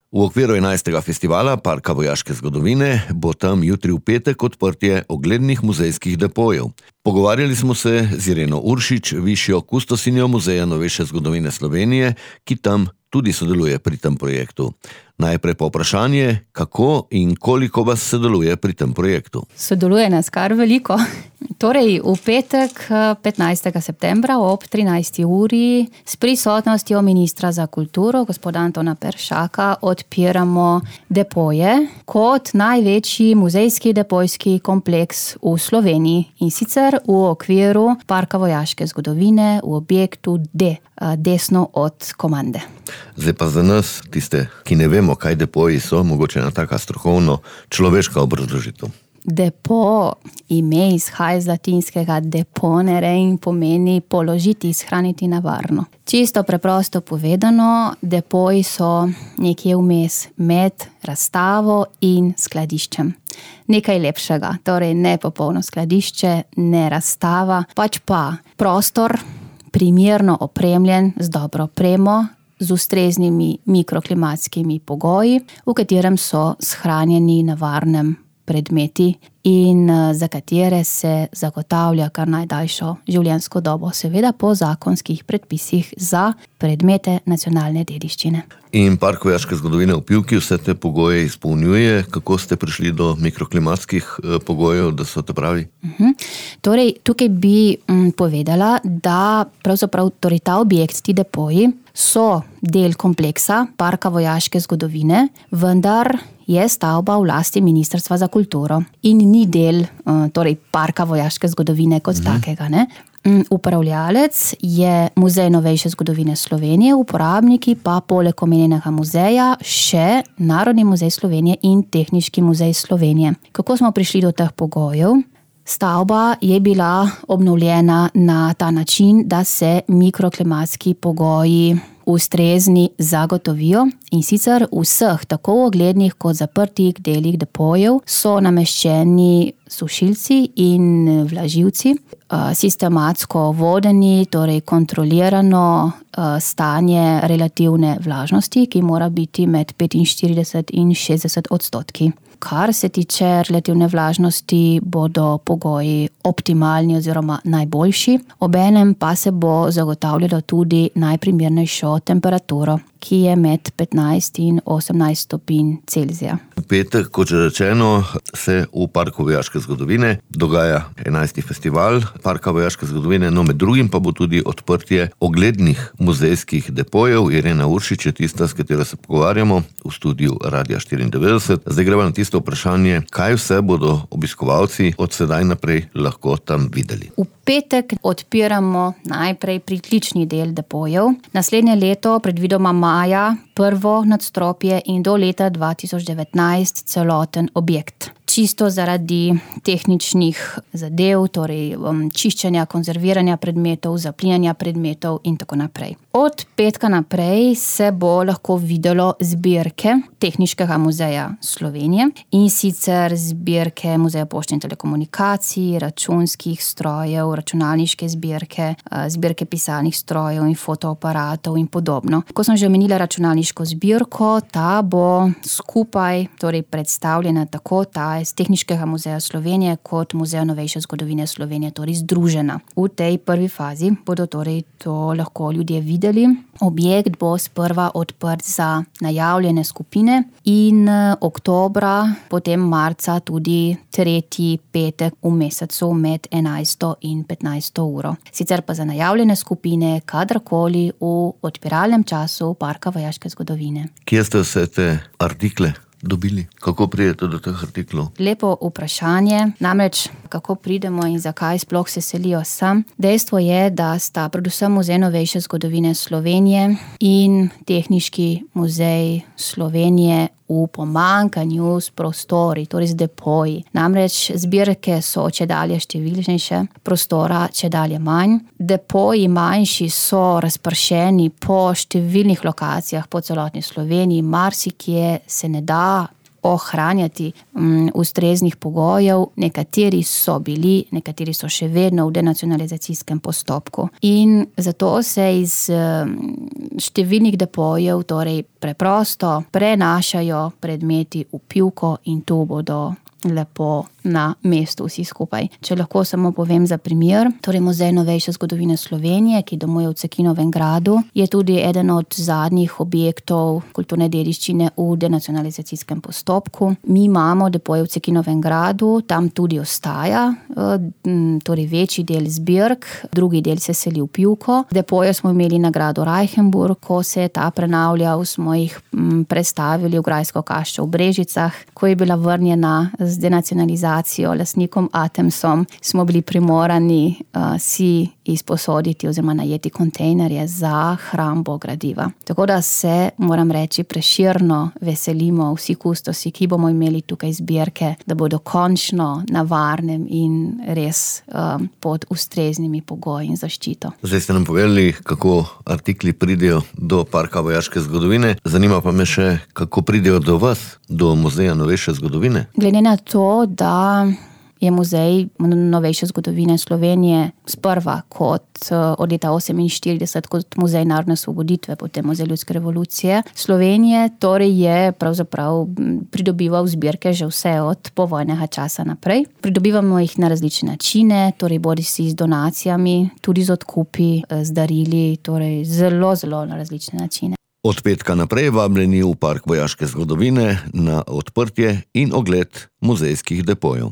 V okviru 11. festivala Parka vojaške zgodovine bo tam jutri v petek odprtje oglednih muzejskih depojev. Pogovarjali smo se z Ireno Uršič, višjo kustosinjo Muzeja novejše zgodovine Slovenije, ki tam tudi sodeluje pri tem projektu. Najprej pa vprašanje, kako in koliko vas sodeluje pri tem projektu. Sodeluje nas kar veliko. Torej, v petek 15. septembra ob 13. uri s prisotnostjo ministra za kulturo, gospoda Antona Peršaka, odpiramo depoje kot največji muzejski depojski kompleks v Sloveniji. In sicer v okviru Parka vojaške zgodovine v objektu D, desno od komande. Zdaj pa za nas, tiste, ki ne vemo, kaj depoji so, mogoče ena taka strokovno človeška obrazložitev. Depo, ime izhaja iz latinskega deponere in pomeni položiti, shraniti na varno. Čisto preprosto povedano, depoji so nekje vmes med razstavo in skladiščem. Nekaj lepšega, torej ne popolno skladišče, ne razstava, pač pa prostor, primerno opremljen z dobro opremo, z ustreznimi mikroklimatskimi pogoji, v katerem so shranjeni na varnem predmeti in za katere se zagotavlja kar najdaljšo življenjsko dobo, seveda po zakonskih predpisih za predmete nacionalne dediščine. In Park vojaške zgodovine v Pivki vse te pogoje izpolnjuje. Kako ste prišli do mikroklimatskih pogojev, da so te pravi? Torej, tukaj bi povedala, da pravzaprav ta objekt, ti depoji, so del kompleksa Parka vojaške zgodovine, vendar je stavba v lasti Ministrstva za kulturo in ni del Parka vojaške zgodovine kot takega, ne? Upravljalec je Muzej novejše zgodovine Slovenije, uporabniki pa poleg omenjenega muzeja še Narodni muzej Slovenije in Tehniški muzej Slovenije. Kako smo prišli do teh pogojev? Stavba je bila obnovljena na ta način, da se mikroklimatski pogoji ustrezni zagotovijo, in sicer v vseh tako oglednih kot zaprtih delih depojev so nameščeni sušilci in vlažilci, sistematsko vodeni, torej kontrolirano stanje relativne vlažnosti, ki mora biti med 45 in 60 odstotki. Kar se tiče relativne vlažnosti, bodo pogoji optimalni oziroma najboljši, obenem pa se bo zagotavljalo tudi najprimernejšo temperaturo, ki je med 15 in 18 stopinj Celzija. V petek, kot že rečeno, se v Parku vojaške zgodovine dogaja 11. festival Parka vojaške zgodovine, no med drugim pa bo tudi odprtje oglednih muzejskih depojev. Irena Uršič je tista, s katero se pogovarjamo v studiu Radia 94. Zdaj gremo na tisto vprašanje, kaj vse bodo obiskovalci od sedaj naprej lahko tam videli. V petek odpiramo najprej pritlični del depojev. Naslednje leto, predvidoma maja, prvo nadstropje in do leta 2019 celoten objekt. Čisto zaradi tehničnih zadev, torej čiščenja, konzerviranja predmetov, zaplinjanja predmetov in tako naprej. Od petka naprej se bo lahko videlo zbirke Tehniškega muzeja Slovenije, in sicer zbirke Muzeja pošte in telekomunikacij, računskih strojev, računalniške zbirke, zbirke pisalnih strojev in fotoaparatov in podobno. Ko sem že omenila računalniško zbirko, ta bo skupaj torej predstavljena tako ta iz Tehniškega muzeja Slovenije kot Muzeja novejše zgodovine Slovenije, torej združena. V tej prvi fazi bodo torej to lahko ljudje videli. Objekt bo sprva odprt za najavljene skupine in oktobra, potem marca tudi tretji petek v mesecu med 11. in 15. uro. Sicer pa za najavljene skupine kadarkoli v odpiralnem času Parka vojaške zgodovine. Kje ste vse te artikle dobili? Kako pridete do teh artiklov? Lepo vprašanje, namreč kako pridemo in zakaj sploh se selijo sem. Dejstvo je, da sta predvsem Muzej novejše zgodovine Slovenije in Tehniški muzej Slovenije v pomanjkanju s prostori, torej z depoji. Namreč zbirke so čedalje številnejše, prostora čedalje manj. Depoji manjši so razpršeni po številnih lokacijah po celotni Sloveniji. Marsikje se ne da ohranjati ustreznih pogojev. Nekateri so bili, nekateri so še vedno v denacionalizacijskem postopku. In zato se iz številnih depojev, torej preprosto prenašajo predmeti v pivko in to bodo lepo na mestu vsi skupaj. Če lahko samo povem za primer, torej Muzej novejše zgodovine Slovenije, ki domuje v Cekinovem gradu, je tudi eden od zadnjih objektov kulturne dediščine v denacionalizacijskem postopku. Mi imamo depoje v Cekinovem gradu, tam tudi ostaja, torej večji del zbirk, drugi del se seli v pivko. Depoje smo imeli na gradu Reichenburg, ko se je ta prenavljal, smo jih prestavili v grajsko kaščo v Brežicah, ko je bila vrnjena z denacionalizacijo lastnikom Atemsom, smo bili primorani si izposoditi oziroma najeti kontejnerje za hrambo gradiva. Tako da se, moram reči, preširno veselimo vsi kustosi, ki bomo imeli tukaj zbirke, da bodo končno na varnem in res pod ustreznimi pogoji in zaščito. Zdaj ste nam povedali, kako artikli pridejo do Parka vojaške zgodovine. Zanima pa me še, kako pridejo do vas, do Muzeja novejše zgodovine. Glede na to, da je Muzej novejše zgodovine Slovenije sprva kot od leta 1948 kot Muzej narodne osvoboditve, potem Muzej ljudske revolucije Slovenije, torej je pravzaprav pridobival zbirke že vse od povojnega časa naprej. Pridobivamo jih na različne načine, torej bodisi z donacijami, tudi z odkupi, z darili, torej zelo, zelo na različne načine. Od petka naprej vabljeni v Park vojaške zgodovine na odprtje in ogled muzejskih depojev.